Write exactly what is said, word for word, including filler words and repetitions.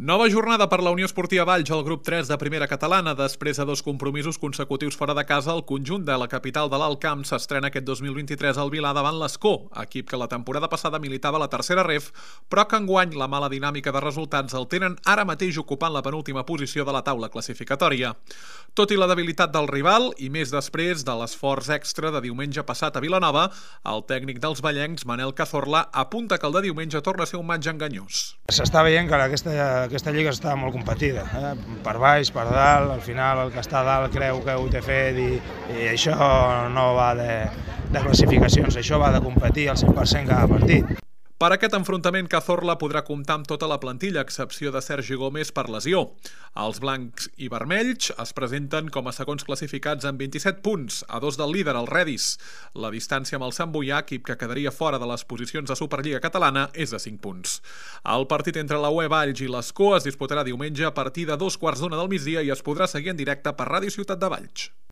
Nova jornada per la Unió Esportiva Valls al grup tres de primera catalana. Després de dos compromisos consecutius fora de casa, el conjunt de la capital de l'Alt Camp s'estrena aquest dos mil vint-i-tres al Vilà davant l'Escó, equip que la temporada passada militava a la tercera ref, però que enguany la mala dinàmica de resultats el tenen ara mateix ocupant la penúltima posició de la taula classificatòria. Tot i la debilitat del rival, i més després de l'esforç extra de diumenge passat a Vilanova, el tècnic dels vallencs, Manel Cazorla, apunta que el de diumenge torna a ser un matx enganyós. S'està veient que aquesta, aquesta lliga està molt competida, eh? Per baix, per dalt, al final el que està a dalt creu que ho té fet i, i això no va de, de classificacions, això va de competir al cent per cent cada partit. Per aquest enfrontament, Cazorla podrà comptar amb tota la plantilla, a excepció de Sergi Gómez per lesió. Els blancs i vermells es presenten com a segons classificats amb vint-i-set punts, a dos del líder, el Redis. La distància amb el Sant Boià, equip que quedaria fora de les posicions de Superliga Catalana, és de cinc punts. El partit entre la U E Valls i l'Escó es disputarà diumenge a partir de dos quarts d'una del migdia i es podrà seguir en directe per Ràdio Ciutat de Valls.